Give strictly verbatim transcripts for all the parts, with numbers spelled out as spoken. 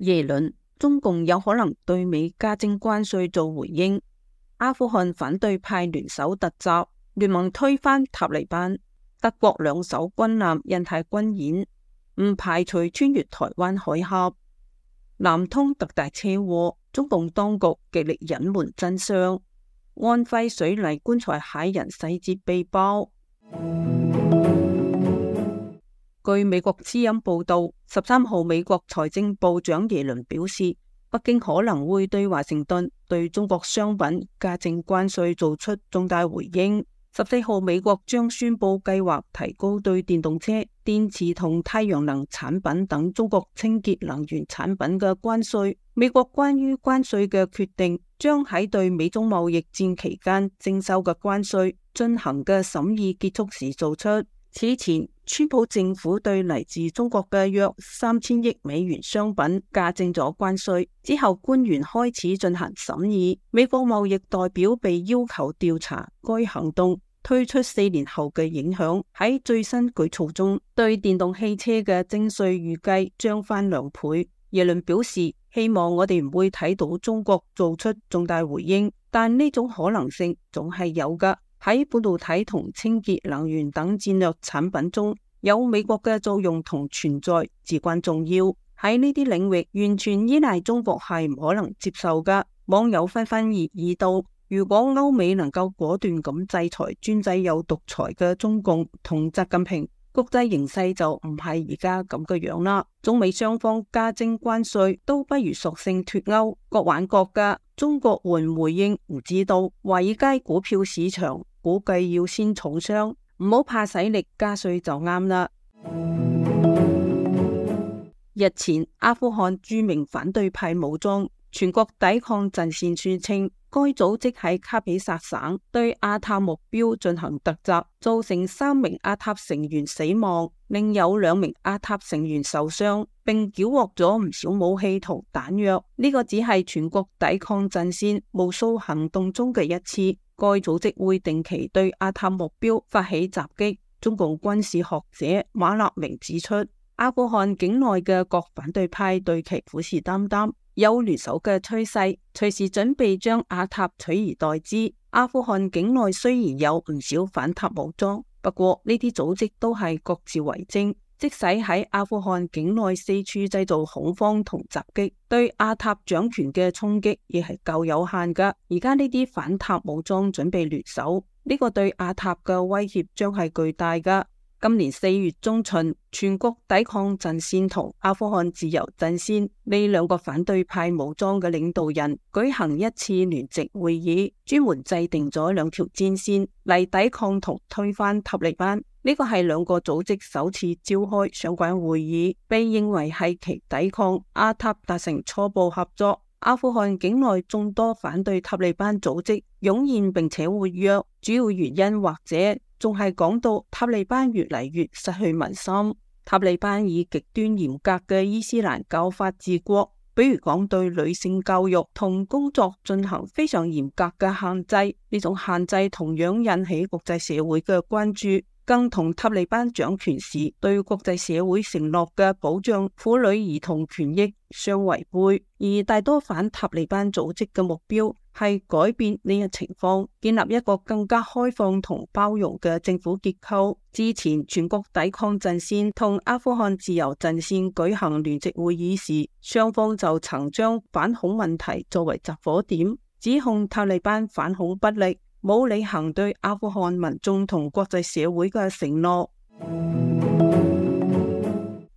耶倫，中共有可能對美加徵關稅做回應。阿富汗反對派聯手突襲，聯盟推翻塔利班。德國兩艘軍艦印太軍演，唔排除穿越台灣海峽。南通特大車禍，中共當局極力隱瞞真相。安徽水泥棺材駭人細節被爆。據美國之音報道，十三號美國財政部長耶倫表示，北京可能會對華盛頓對中國商品加徵關稅做出重大回應。十四號美國將宣布計劃提高對電動車、電池同太陽能產品等中國清潔能源產品嘅關稅。美國關於關稅嘅決定將喺對美中貿易戰期間徵收嘅關稅進行嘅審議結束時做出。此前，川普政府對嚟自中國嘅約三千億美元商品加徵咗關稅，之後官員開始進行審議。美國貿易代表被要求調查該行動推出四年後嘅影響。喺最新舉措中，對電動汽車嘅徵稅預計將翻兩倍。耶倫表示，希望我哋唔會睇到中國做出重大回應，但呢種可能性總係有㗎。喺半導體同清潔能源等戰略產品中，有美國嘅作用同存在至關重要。喺呢啲領域，完全依賴中國係唔可能接受㗎。網友紛紛熱議道，如果歐美能夠果斷咁制裁專制又獨裁嘅中共同習近平，國際形勢就唔係而家咁嘅樣啦。中美雙方加徵關稅，都不如索性脫歐，各玩各㗎。中國會唔回應唔知道。華爾街股票市場估計要先重傷，唔好怕使力加稅就啱啦。日前，阿富汗著名反對派武裝全國抵抗陣線宣稱，該組織喺卡比薩省對阿塔目標進行突襲，造成三名阿塔成員死亡，另有兩名阿塔成員受傷，並繳獲咗唔少武器同彈藥。呢、這個只係全國抵抗陣線無數行動中嘅一次。該組織會定期對阿塔目標發起襲擊。中共軍事學者馬立明指出，阿富汗境內嘅各反對派對其虎視眈眈，有聯手嘅趨勢，隨時準備將阿塔取而代之。阿富汗境內雖然有唔少反塔武裝，不過呢啲組織都係各自為政。即使喺阿富汗境內四處製造恐慌同襲擊，對阿塔掌權嘅衝擊亦係夠有限噶。而家呢啲反塔武裝準備聯手，呢個對阿塔嘅威脅將係巨大噶。今年四月中旬，全國抵抗陣線同阿富汗自由陣線呢兩個反對派武裝嘅領導人舉行一次聯席會議，專門制定咗兩條戰線嚟抵抗同推翻塔利班。呢個係兩個組織首次召開相關會議，被認為係其抵抗阿塔達成初步合作。阿富汗境內眾多反對塔利班組織湧現並且活躍，主要原因或者仲係講到塔利班越嚟越失去民心。塔利班以極端嚴格嘅伊斯蘭教法治國，比如講對女性教育同工作進行非常嚴格嘅限制，呢種限制同樣引起國際社會嘅關注，更同塔利班掌權時對國際社會承諾嘅保障婦女兒童權益相違背。而大多反塔利班組織嘅目標係改變呢一情況，建立一個更加開放同包容嘅政府結構。之前全國抵抗陣線同阿富汗自由陣線舉行聯席會議時，雙方就曾將反恐問題作為集火點，指控塔利班反恐不力，冇履行對阿富汗民眾同國際社會嘅承諾。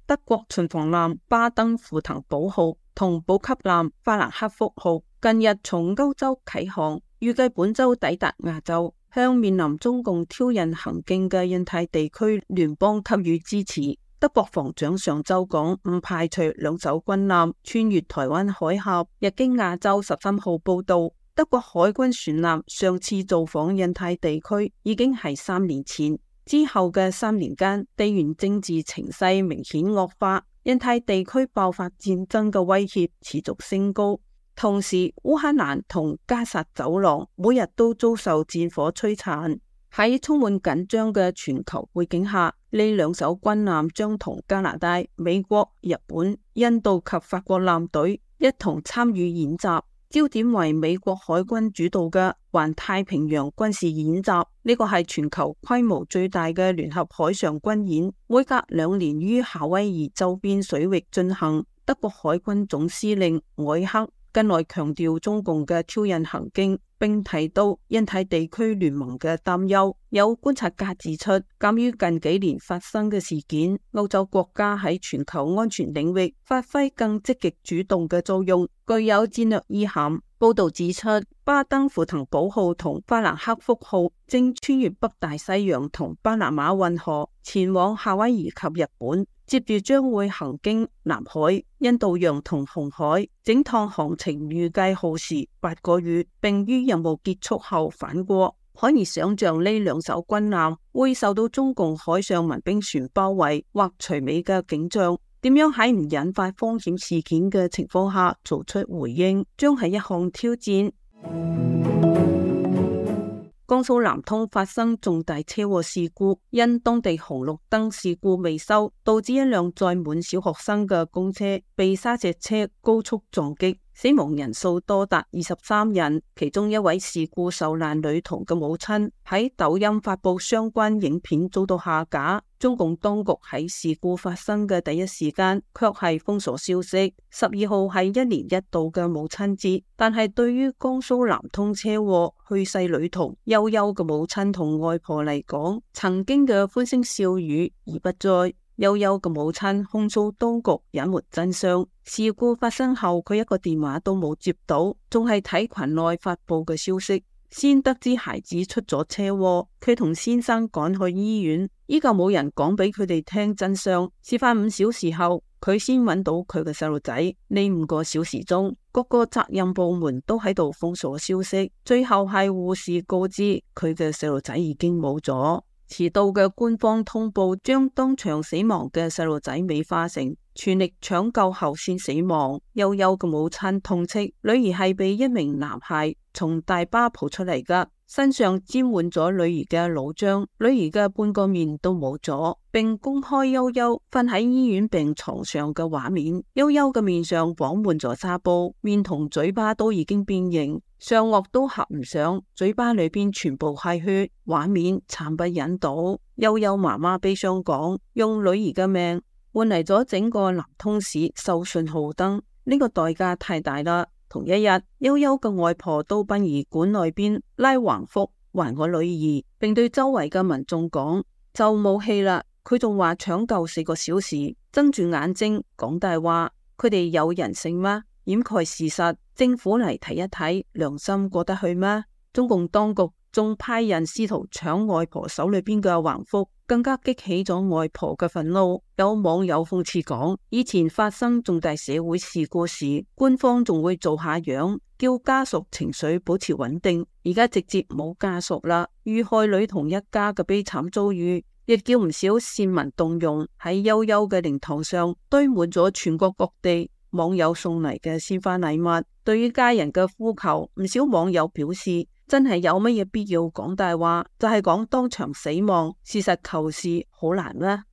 德國巡防艦巴登符騰堡號同補給艦法蘭克福號近日從歐洲啟航，預計本周抵達亞洲，向面臨中共挑釁行徑嘅印太地區聯邦給予支持。德國防長上周講，唔排除兩艘軍艦穿越台灣海峽。日經亞洲十三號報道，德國海軍船艦上次造訪印太地區已經係三年前，之後嘅三年間，地緣政治情勢明顯惡化，印太地區爆發戰爭嘅威脅持續升高。同時，烏克蘭同加薩走廊每日都遭受戰火摧殘。喺充滿緊張嘅全球背景下，呢兩艘軍艦將同加拿大、美國、日本、印度及法國艦隊一同參與演習，焦點為美國海軍主導嘅環太平洋軍事演習。呢個係全球規模最大嘅聯合海上軍演，每隔兩年於夏威夷周邊水域進行。德國海軍總司令凱克近來強調中共嘅挑釁行徑，並提到印太地區聯盟嘅擔憂。有觀察家指出，鑒於近幾年發生嘅事件，歐洲國家喺全球安全領域發揮更積極主動嘅作用，具有戰略意涵。報道指出，巴登符騰堡號同法蘭克福號正穿越北大西洋同巴拿馬運河，前往夏威夷及日本，接住將會行經南海、印度洋同紅海，整趟航程預計耗時八個月，並於任務結束後返國。可以想象呢兩艘軍艦會受到中共海上民兵船包圍或隨尾嘅景象。點樣喺唔引發風險事件嘅情況下做出回應，將係一項挑戰。江蘇南通發生重大車禍事故，因當地紅綠燈事故未修，導致一輛載滿小學生嘅公車被砂石車高速撞擊，死亡人數多達二十三人。其中一位事故受難女童嘅母親喺抖音發布相關影片，遭到下架。中共當局喺事故發生嘅第一時間卻係封鎖消息。十二號係一年一度嘅母親節，但係對於江蘇南通車禍去世女童悠悠嘅母親同外婆嚟講，曾經嘅歡聲笑語已不再。悠悠嘅母親控訴當局隱瞞真相。事故發生後，佢一個電話都冇接到，仲係睇群內發布嘅消息，先得知孩子出咗車禍，佢同先生趕去醫院，依舊冇人講俾佢哋聽真相。事發五小時後，佢先揾到佢嘅細路仔。呢五個小時中，各個責任部門都喺度封鎖消息，最後係護士告知佢嘅細路仔已經冇咗。遲到嘅官方通報將當場死亡嘅細路仔美化成全力搶救後先死亡。悠悠嘅母親痛斥女兒係被一名男孩從大巴抱出嚟㗎，身上沾滿咗女兒嘅腦漿，女兒嘅半個面都冇咗，並公開悠悠瞓喺醫院病床上嘅畫面。悠悠嘅面上綁滿咗紗布，面同嘴巴都已經變形，上顎都合唔上，嘴巴裏邊全部係血，畫面慘不忍睹。悠悠媽媽悲傷講，用女兒嘅命換嚟咗整個南通市收信號燈，呢個代價太大啦。同一日，悠悠嘅外婆到殯儀館內邊拉橫幅還我女兒，並對周圍嘅民眾講就冇戲啦。佢仲話搶救四個小時，睜住眼睛講大話，佢哋有人性嗎？掩蓋事實，政府嚟睇一睇，良心過得去嗎？中共當局仲派人試圖搶外婆手裏邊嘅橫幅，更加激起咗外婆嘅憤怒。有網友諷刺講，以前發生重大社會事故時，官方仲會做下樣，叫家屬情緒保持穩定，而家直接冇家屬啦。遇害女童一家嘅悲慘遭遇，亦叫唔少善民動容，喺悠悠嘅靈堂上堆滿咗全國各地網友送嚟嘅鮮花禮物。對於家人嘅呼求，唔少網友表示，真係有乜嘢必要講大話？就係講當場死亡，事實求是好難啦。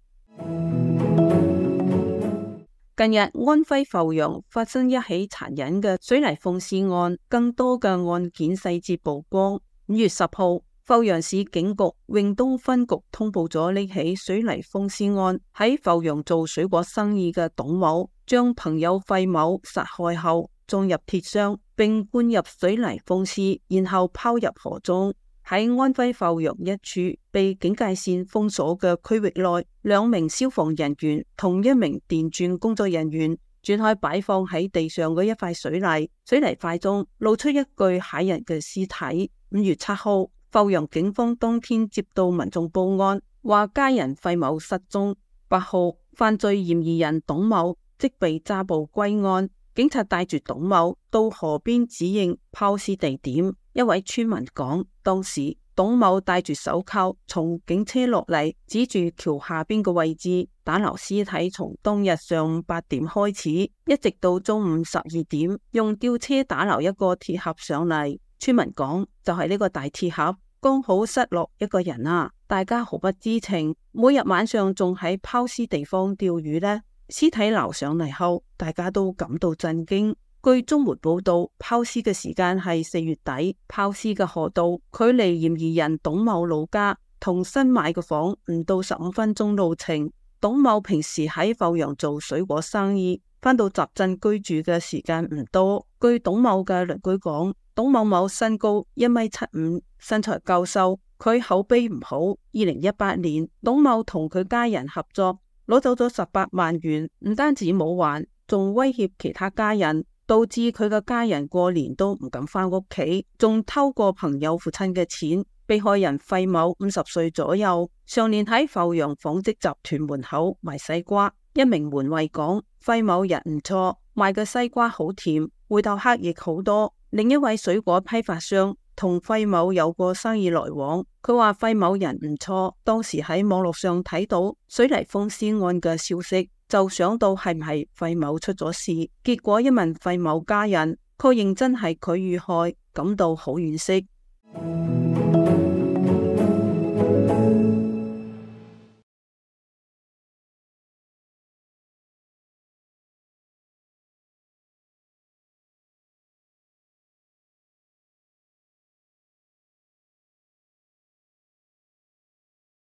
近日安徽阜陽發生一起殘忍嘅水泥放屍案，更多嘅案件細節曝光。五月十號，阜陽市警局永東分局通報咗呢起水泥放屍案。喺阜陽做水果生意嘅董某，將朋友費某殺害後裝入鐵箱，並灌入水泥放屍，然後拋入河中。喺安徽阜陽一處被警戒線封鎖嘅區域內，兩名消防人員同一名電鑽工作人員轉開擺放喺地上嘅一塊水泥，水泥塊中露出一具駭人嘅屍體。五月七號，阜陽警方當天接到民眾報案，話家人費某失蹤。八號，犯罪嫌疑人董某即被抓捕歸案。警察帶住董某到河邊指認拋屍地點。一位村民講，當時董某戴住手銬從警車落嚟，指住橋下邊嘅位置打撈屍體，從當日上午八點開始，一直到中午十二點，用吊車打撈一個鐵盒上嚟。村民講，就係呢個大鐵盒，剛好失落一個人啊，大家毫不知情，每日晚上仲喺拋屍地方釣魚呢。屍體撈上嚟後，大家都感到震驚。據中媒報道，拋屍嘅時間係四月底，拋屍嘅河道距離嫌疑人董某老家同新買嘅房唔到十五分鐘路程。董某平時喺阜陽做水果生意，返到集鎮居住嘅時間唔多。據董某嘅鄰居講，董某某身高一米七五，身材夠瘦，佢口碑唔好。二零一八年，董某同佢家人合作，攞走咗十八萬元，唔單止冇還，仲威脅其他家人，導致佢嘅家人過年都唔敢返屋企，仲偷過朋友父親嘅錢。被害人費某五十歲左右，上年喺阜陽紡織集團門口賣西瓜。一名門衛講，費某人唔錯，賣嘅西瓜好甜，回頭客亦好多。另一位水果批發商同費某有過生意來往，佢話費某人唔錯，當時喺網絡上睇到水泥封屍案嘅消息，就想到係唔係費某出咗事，結果一問費某家人，確認真係佢遇害，感到好惋惜。